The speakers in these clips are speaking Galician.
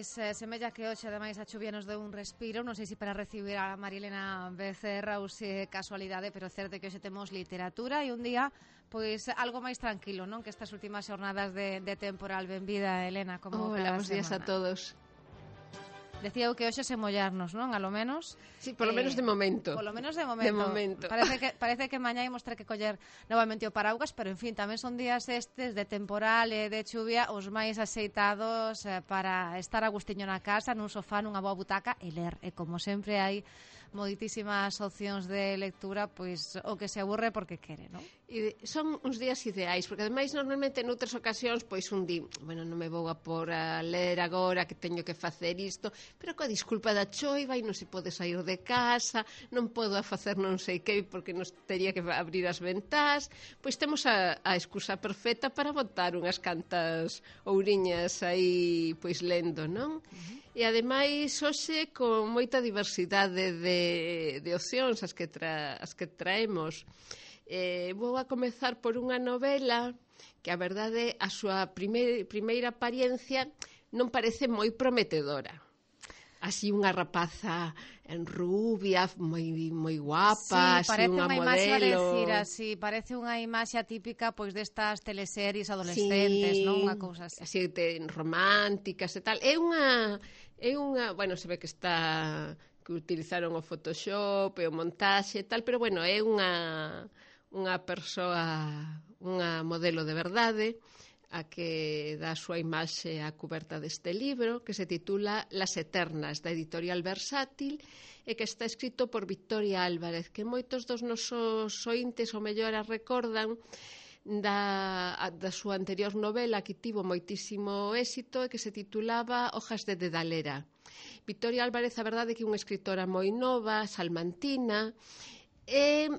Pois semella que hoxe ademais a chuvia nos deu un respiro. Non sei se para recibir a Marilena Becerra ou se casualidade, pero certo que hoxe temos literatura e un día pois algo máis tranquilo, non? Que estas últimas xornadas de temporal. Benvida, Elena, como Hola, cada bons días a semana. todos. Decía eu que hoxe se mollarnos, non? A lo menos. Sí, por lo menos de momento. Por lo menos de momento. De momento. Parece que mañá imos ter que coller novamente o paraugas, pero en fin, tamén son días estes de temporal e de chuvia os máis axeitados para estar a gustiño na casa, nun sofá, nunha boa butaca e ler. E como sempre hai moitísimas opcións de lectura, pois o que se aburre porque quere, non? E son uns días ideais, porque ademais normalmente noutras ocasións pois un di, bueno, non me vou a por a ler agora que teño que facer isto, pero coa disculpa da choiva e non se pode sair de casa, non podo a facer non sei que porque nos tería que abrir as ventás, pois temos a excusa perfecta para botar unhas cantas ouriñas aí pois lendo, non? E ademais hoxe con moita diversidade de opcións as que traemos. Vou a comezar por unha novela que a verdade a súa primeira apariencia non parece moi prometedora. Así unha rapaza rubia, moi guapa, sí, así unha modelo. Parece unha imaxe atípica pois destas teleseries adolescentes, sí, non? Unha cousa así. Así románticas e tal. É unha, bueno, se ve que que utilizaron o Photoshop e o montaxe e tal, pero bueno, é unha persoa, unha modelo de verdade, a que dá a súa imaxe á cuberta deste libro, que se titula Las Eternas, da editorial Versátil, e que está escrito por Victoria Álvarez, que moitos dos nosos ointes o mellor a recordan da súa anterior novela que tivo moitísimo éxito e que se titulaba Hojas de Dedalera. Victoria Álvarez, a verdade, que é unha escritora moi nova, salmantina, e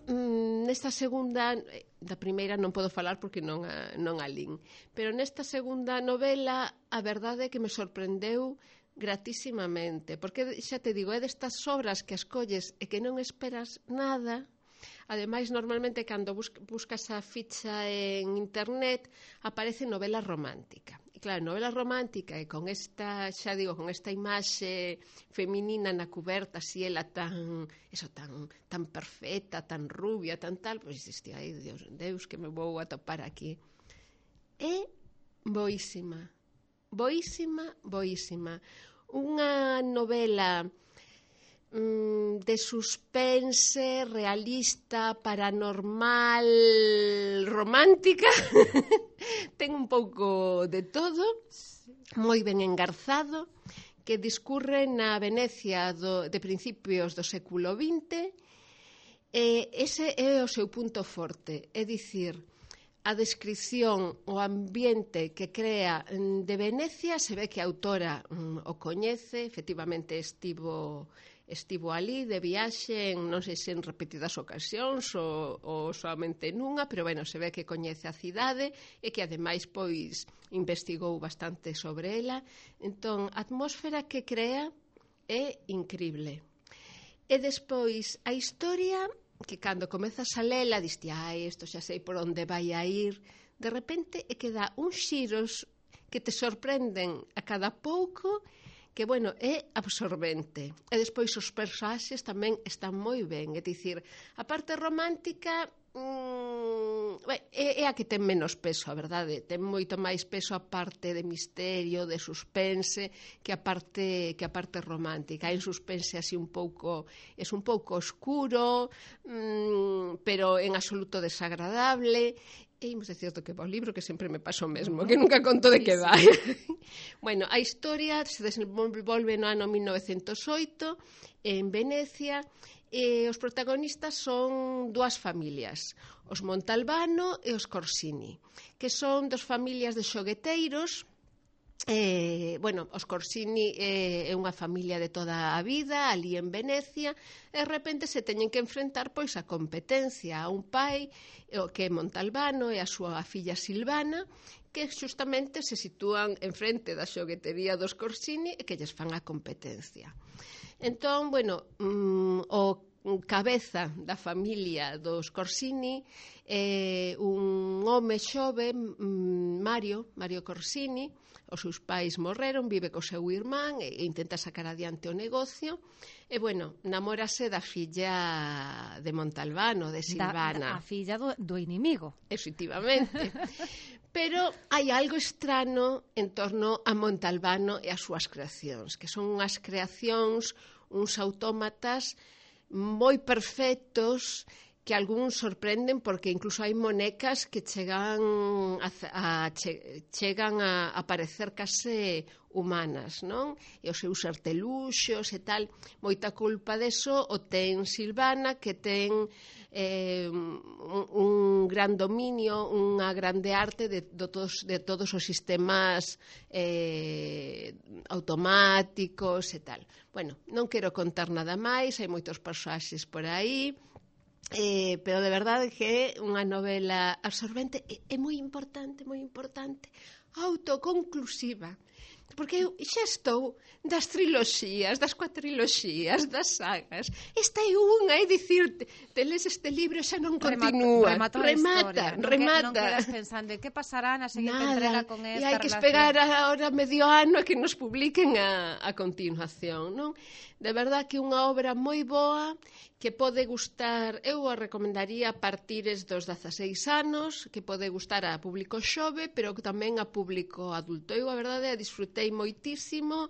nesta segunda, da primeira non podo falar porque non a lin, pero nesta segunda novela a verdade é que me sorprendeu gratísimamente, porque xa te digo, é destas obras que as colles e que non esperas nada. Ademais, normalmente cando buscas a ficha en internet aparece novela romántica. E claro, novela romántica e con esta, xa digo, con esta imaxe feminina na cuberta, así ela tan perfecta, tan rubia, tan tal, pois diste, ai, Deus, que me vou atopar aquí. É boísima. Unha novela de suspense, realista, paranormal, romántica. Ten un pouco de todo, moi ben engarzado, que discurre na Venecia de principios do século XX. Ese é o seu punto forte, é dicir, a descripción, o ambiente que crea de Venecia, se ve que a autora o coñece, efectivamente estivo ali de viaxe, non sei se en repetidas ocasións ou soamente nunha, pero bueno, se ve que coñece a cidade e que ademais pois investigou bastante sobre ela. Entón, a atmósfera que crea é incrible. E despois, a historia, que cando comezas a lela, diste, ai, isto xa sei por onde vai a ir, de repente é que dá uns xiros que te sorprenden a cada pouco, que, bueno, é absorbente. E despois os personaxes tamén están moi ben. É dicir, a parte romántica é a que ten menos peso, a verdade. Ten moito máis peso a parte de misterio, de suspense, que a parte romántica. En suspense así un pouco oscuro, pero en absoluto desagradable. E imos de certo que o libro que sempre me pasa o mesmo, que nunca conto de que vai. Bueno, a historia se desenvolve no ano 1908 en Venecia e os protagonistas son dúas familias, os Montalbano e os Corsini, que son dos familias de xogueteiros. Os Corsini é unha familia de toda a vida ali en Venecia e de repente se teñen que enfrentar pois a competencia a un pai que é Montalbano e a súa filla Silvana, que justamente se sitúan en frente da xoguetería dos Corsini e que lles fan a competencia. Entón, bueno, o cabeza da familia dos Corsini, un home xove Mario Corsini, os seus pais morreron, vive co seu irmán e intenta sacar adiante o negocio, e, bueno, namórase da filla de Montalbano, de Silvana. A filla do inimigo. Efectivamente. Pero hai algo estrano en torno a Montalbano e as súas creacións, que son unhas creacións, uns autómatas moi perfectos, que algúns sorprenden porque incluso hai monecas que chegan a parecer case humanas, non? E os seus arteluxos e tal, moita culpa deso o ten Silvana, que ten un gran dominio, unha grande arte de todos os sistemas automáticos e tal. Bueno, non quero contar nada máis, hai moitos personaxes por aí, pero de verdade que é unha novela absorbente e moi importante, autoconclusiva, porque eu xa estou das triloxías, das cuatriloxías, das sagas. Esta é unha, é dicir, te lees este libro e xa non continúa. Remata. Non quedas pensando que pasará na seguinte entrega con esta relación. E hai que esperar ahora medio ano a que nos publiquen a continuación, non? De verdad que unha obra moi boa, que pode gustar, eu a recomendaría a partires dos 16 anos, que pode gustar a público xove, pero tamén a público adulto. Eu, a verdade, a disfrutei moitísimo,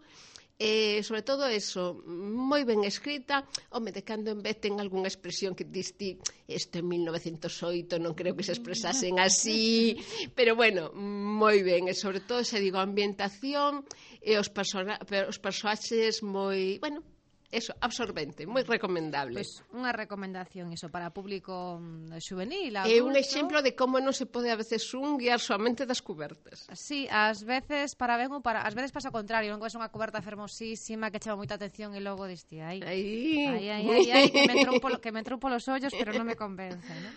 e, sobre todo, eso, moi ben escrita. Home, de cando en vez ten algunha expresión que diste, isto en 1908, non creo que se expresasen así, pero, bueno, moi ben, e, sobre todo, se digo, a ambientación e os personaxes moi, bueno, eso, absorbente, moi recomendable. Pois unha recomendación iso para público xuvenil, adulto. É un exemplo de como non se pode a veces guiar soamente das cubertas. Sí, ás veces para ben ou para... Ás veces pasa o contrario, non que ves unha cuberta fermosísima que chama moita atención e logo diste ai, que me entrou polos ollos, pero non me convence, non?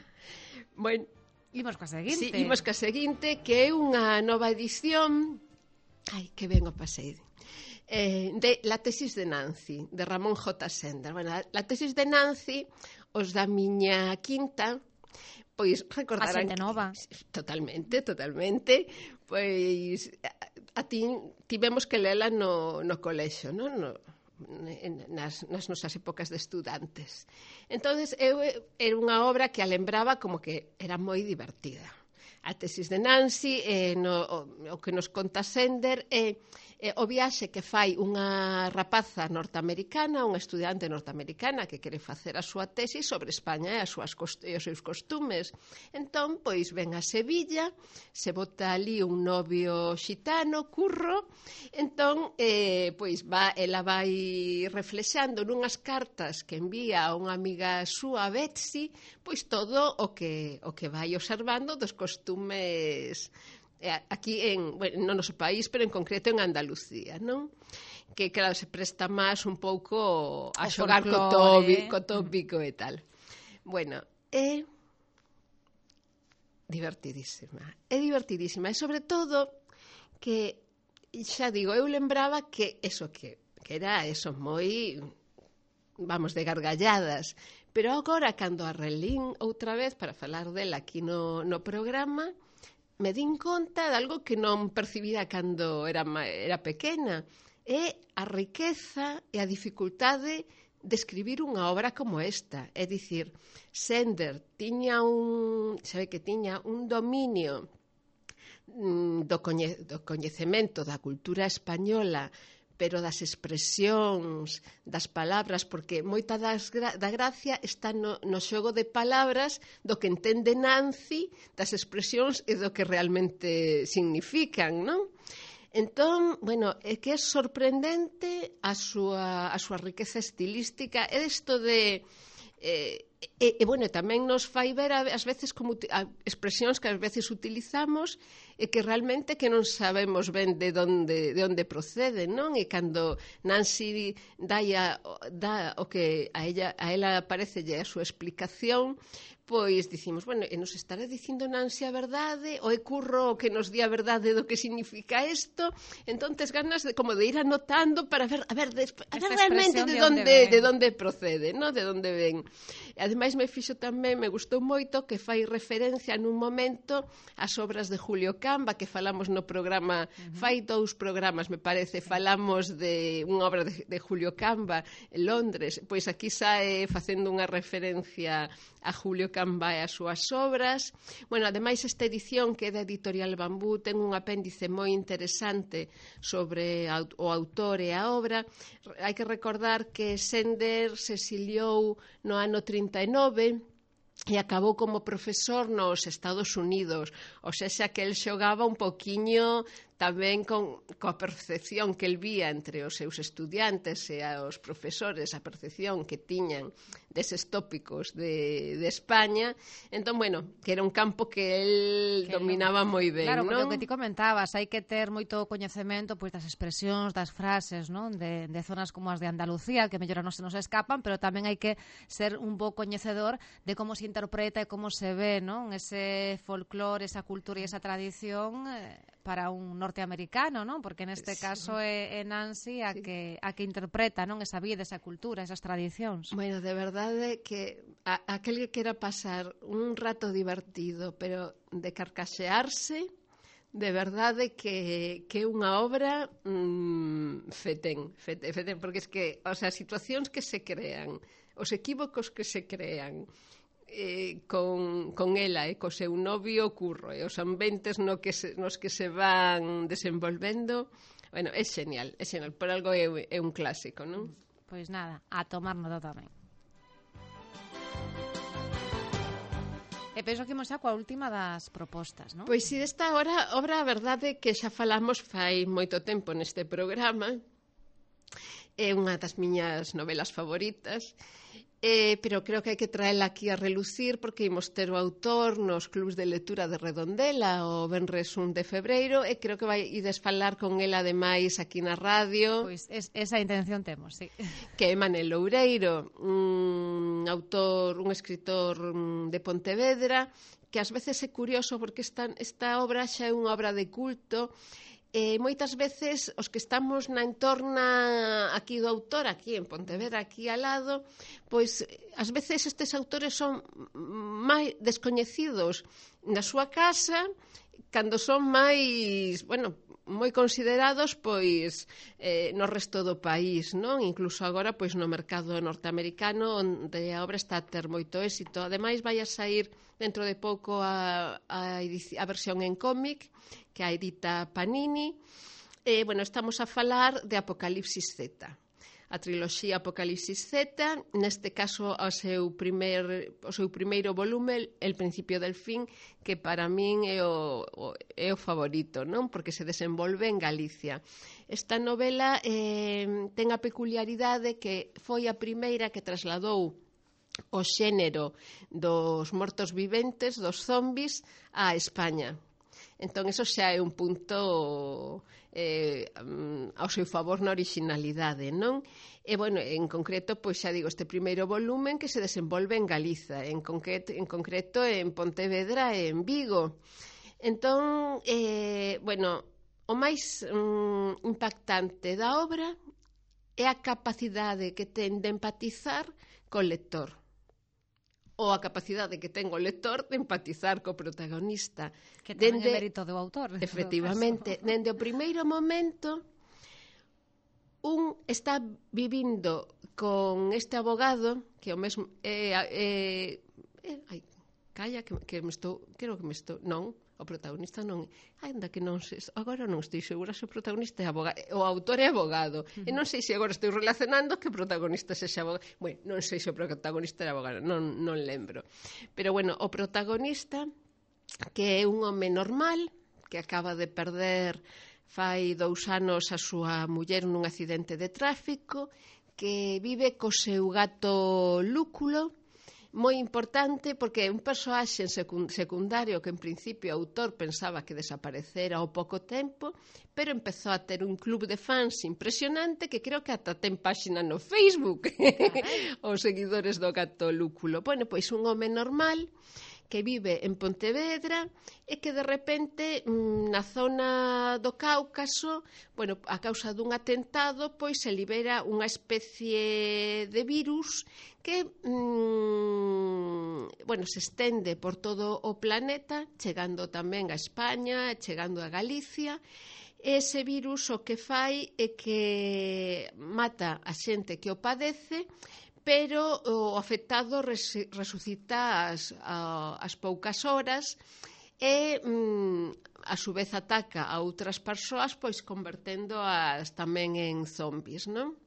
Bueno, imos coa seguinte. Sí, imos coa seguinte, que é unha nova edición. Ai, que ben o pasei. De La tesis de Nancy, de Ramón J. Sender. Bueno, La tesis de Nancy, os da miña quinta, pois recordarán... A xente nova. Totalmente. Pois tivemos que lela no colexo, non? Nas nosas épocas de estudantes. Entonces, era unha obra que a lembraba como que era moi divertida. A tesis de Nancy, o que nos conta Sender, é o viaxe que fai unha rapaza norteamericana, unha estudiante norteamericana que quere facer a súa tesis sobre España e os seus costumes. Entón, pois, ven a Sevilla, se bota ali un novio xitano, Curro, entón, pois, ela vai reflexando nunhas cartas que envía a unha amiga súa, Betsy, pois todo o que vai observando dos costumes aquí no noso país, pero en concreto en Andalucía, non? Que, claro, se presta máis un pouco a xogar co tópico e tal. Bueno, é divertidísima. E sobre todo que, xa digo, eu lembraba que era eso moi, vamos, de gargalladas. Pero agora, cando a relín outra vez para falar dela aquí no programa, me din conta de algo que non percibía cando era pequena. É a riqueza e a dificultade de escribir unha obra como esta. É dicir, Sender tiña un dominio do coñecemento da cultura española, pero das expresións, das palabras, porque moita da gracia está no xogo de palabras do que entende Nancy, das expresións e do que realmente significan, non? Entón, bueno, é que é sorprendente a súa riqueza estilística, é isto de... bueno, tamén nos fai ver ás veces como expresións que ás veces utilizamos e que realmente que non sabemos ben de onde proceden, non? E cando Nancy dá o que a ela parecelle a súa explicación, pois dicimos, bueno, e nos estará dicindo Nancy a verdade, ou é Curro o que nos di a verdade do que significa isto? Entón tes ganas de ir anotando para ver realmente de onde procede, non? De onde ven. E ademais me gustou moito que fai referencia nun momento ás obras de Julio Camba, que falamos no programa, fai 2 programas, me parece, falamos de unha obra de Julio Camba en Londres, pois aquí sae facendo unha referencia a Julio Camba e as súas obras. Bueno, ademais esta edición que é da Editorial Bambú ten un apéndice moi interesante sobre o autor e a obra. Hai que recordar que Sender se exiliou no ano 39 e acabou como profesor nos Estados Unidos, ou seja, que el xogaba un poquiño tamén coa percepción que el vía entre os seus estudiantes e os profesores, a percepción que tiñan deses tópicos de España. Entón, bueno, que era un campo que el dominaba moi ben, claro, non? Claro, o que ti comentabas, hai que ter moito coñecemento pois das expresións, das frases, non? De zonas como as de Andalucía, que mellor non se nos escapan, pero tamén hai que ser un bo coñecedor de como se interpreta e como se ve, non? Ese folclore, esa cultura e esa tradición para un norteamericano, non? Porque neste caso é Nancy a que interpreta, non? Esa vida, esa cultura, esas tradicións. Bueno, de verdade que aquel que quera pasar un rato divertido, pero de carcaxearse, de verdade que é unha obra fetén, porque es que, o sea, as situacións que se crean, os equívocos que se crean, con ela e co seu novio Curro e os ambientes nos que se van desenvolvendo, bueno, é genial, por algo é un clásico, non? Pois nada, a tomar nota tamén. E penso que imos xa coa última das propostas, non? Pois si, desta obra, a verdade que xa falamos fai moito tempo neste programa, é unha das miñas novelas favoritas, pero creo que hai que traela aquí a relucir porque imos ter o autor nos clubs de lectura de Redondela o venres 1 de febreiro e creo que ides falar con ela ademais aquí na radio. Pois esa intención temos, sí. Que é Manel Loureiro, un escritor de Pontevedra, que ás veces é curioso porque esta obra xa é unha obra de culto. Moitas veces os que estamos na entorna aquí do autor, aquí en Pontevedra, aquí al lado, pois ás veces estes autores son máis descoñecidos na súa casa cando son máis, bueno, moi considerados pois no resto do país, non? Incluso agora pois no mercado norteamericano onde a obra está a ter moito éxito. Ademais vai a sair dentro de pouco a versión en cómic que a edita Panini. Bueno, estamos a falar de Apocalipsis Z. A triloxía Apocalipsis Z, neste caso o seu primeiro volume, El principio del fin, que para min é o favorito, non? Porque se desenvolve en Galicia. Esta novela ten a peculiaridade que foi a primeira que trasladou o xénero dos mortos viventes, dos zombies, a España. Entón, eso xa é un punto ao seu favor na originalidade, non? E, bueno, en concreto, pois xa digo, este primeiro volumen que se desenvolve en Galiza, en concreto en Pontevedra e en Vigo. Entón, bueno, o máis impactante da obra é a capacidade que ten de empatizar co lector, ou a capacidade que ten o lector de empatizar co protagonista. Que tamén é mérito do autor. Efectivamente, dende o primeiro momento, un está vivindo con este abogado, que o mesmo... calla, que me estou... Creo que me estou... Non, o protagonista non... Ainda que non sei... Agora non estou segura se o protagonista é abogado. O autor é abogado. E non sei se agora estou relacionando que o protagonista sexa abogado. Bueno, non sei se o protagonista é abogado. Non lembro. Pero, bueno, o protagonista, que é un home normal, que acaba de perder fai 2 anos a súa muller nun accidente de tráfico, que vive co seu gato Lúculo, moi importante porque é un persoaxe secundario que en principio o autor pensaba que desaparecera ao pouco tempo, pero empezou a ter un club de fans impresionante que creo que ata ten páxina no Facebook os seguidores do gato Lúculo. Bueno, pois un home normal que vive en Pontevedra e que de repente na zona do Cáucaso, bueno, a causa dun atentado, pois se libera unha especie de virus que bueno, se estende por todo o planeta, chegando tamén a España, chegando a Galicia. Ese virus o que fai é que mata a xente que o padece, pero o afectado resucita as poucas horas e a su vez ataca a outras persoas, pois convertendo-as tamén en zombies, non?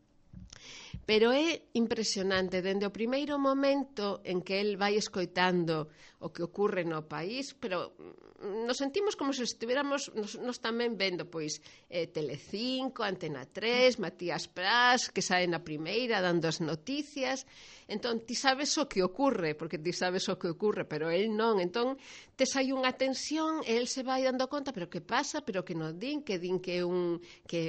Pero é impresionante, dende o primeiro momento en que el vai escoitando o que ocorre no país, pero nos sentimos como se estuviéramos nos tamén vendo, pois, Telecinco, Antena 3, Matías Prats, que sae na primeira dando as noticias. Entón, ti sabes o que ocorre, porque ti sabes o que ocorre, pero el non. Entón, te sai unha tensión e el se vai dando conta, pero que pasa, pero que non din que é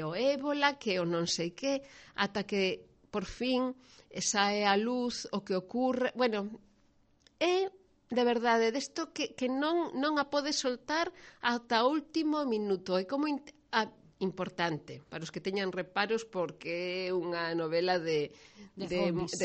o ébola, que o non sei que, ata que por fin sae a luz o que ocorre. Bueno, é de verdade desto que non a pode soltar ata o último minuto. É como importante para os que teñan reparos, porque é unha novela de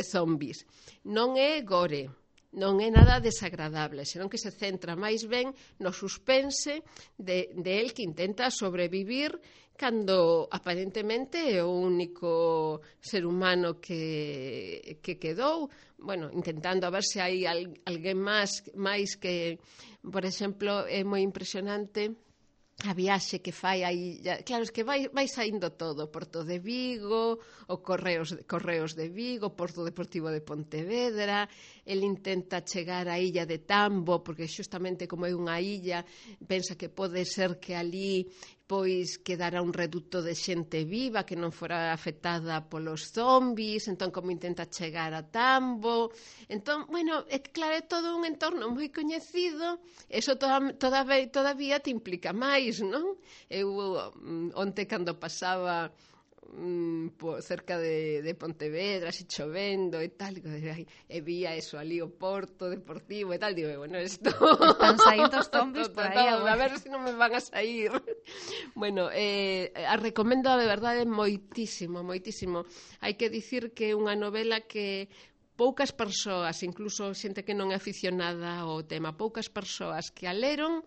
zombies. Non é gore, non é nada desagradable, senón que se centra máis ben no suspense de el que intenta sobrevivir cando aparentemente é o único ser humano que quedou, bueno, intentando a ver se hai alguén máis que, por exemplo, é moi impresionante a viaxe que fai aí. Claro, es que vai saindo todo, Porto de Vigo, o Correos de Vigo, Porto Deportivo de Pontevedra. El intenta chegar á illa de Tambo, porque xustamente como é unha illa, pensa que pode ser que ali pois quedara un reduto de xente viva que non fora afectada polos zombies. Entón, como intenta chegar a Tambo. Entón, bueno, é que claro, é todo un entorno moi coñecido. Eso todavía te implica máis, non? Eu onte cando pasaba cerca de Pontevedra, así chovendo e tal, e vía eso ali, o Porto Deportivo e tal, digo, bueno, isto están saindo os zombies por aí, a ver se non me van a sair. Bueno, a recomendo de verdade moitísimo, moitísimo. Hai que dicir que é unha novela que poucas persoas, incluso xente que non é aficionada ao tema, poucas persoas que a leron,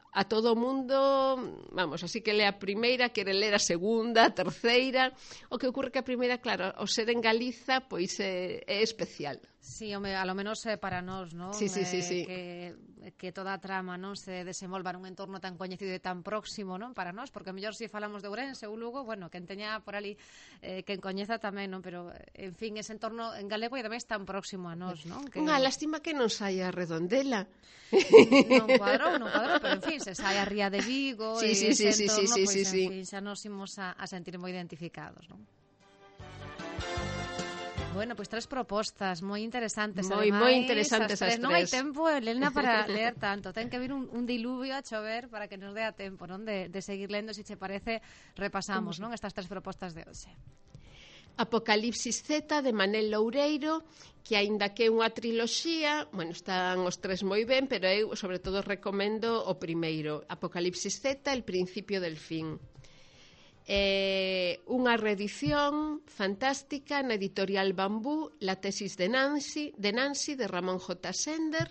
a todo o mundo, vamos, así que lea a primeira, quere ler a segunda, a terceira. O que ocorre que a primeira, claro, o ser en Galiza, pois é especial. Sí, home, a lo menos para nós, non? Sí. Que toda a trama non se desenvolva nun entorno tan coñecido e tan próximo, non? Para nós, porque mellor se falamos de Ourense ou Lugo, bueno, quen teña por ali, quen coñeza tamén, non? Pero, en fin, ese entorno en galego e ademais tan próximo a nós, non? Unha lástima que non saia a Redondela. Non cuadrou, pero en fin, se sai a Ría de Vigo e ese entorno, pois, en fin, xa nos imos a sentir moi identificados, non? Bueno, pois tres propostas moi interesantes. Moi interesantes as tres. Non hai tempo, Elena, para ler tanto. Ten que vir un diluvio a chover para que nos dea tempo, non? De seguir lendo, se che parece, repasamos, non? Estas tres propostas de hoxe. Apocalipsis Z, de Manel Loureiro, que aínda que é unha triloxía, bueno, están os tres moi ben, pero eu, sobre todo, recomendo o primeiro. Apocalipsis Z, El principio del fin. Unha reedición fantástica na editorial Bambú, La tesis de Nancy, de Ramón J. Sender.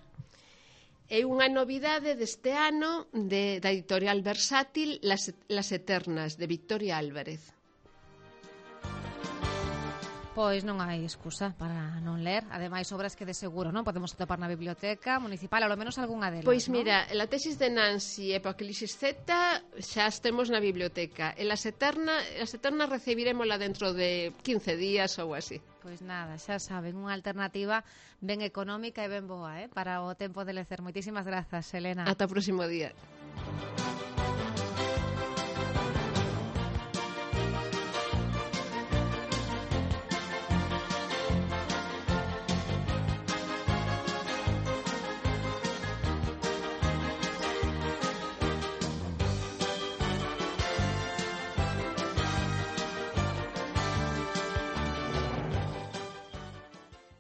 É unha novidade deste ano da editorial Versátil, Las eternas, de Victoria Álvarez. Pois non hai excusa para non ler. Ademais, obras que de seguro non podemos atopar na biblioteca municipal, ao menos algunha delas. Pois mira, La tesis de Nancy e Apocalipsis Z xa as temos na biblioteca. E Las eternas recibirémola dentro de 15 días ou así. Pois nada, xa saben, unha alternativa ben económica e ben boa, para o tempo de lecer. Moitísimas grazas, Elena. Ata o próximo día.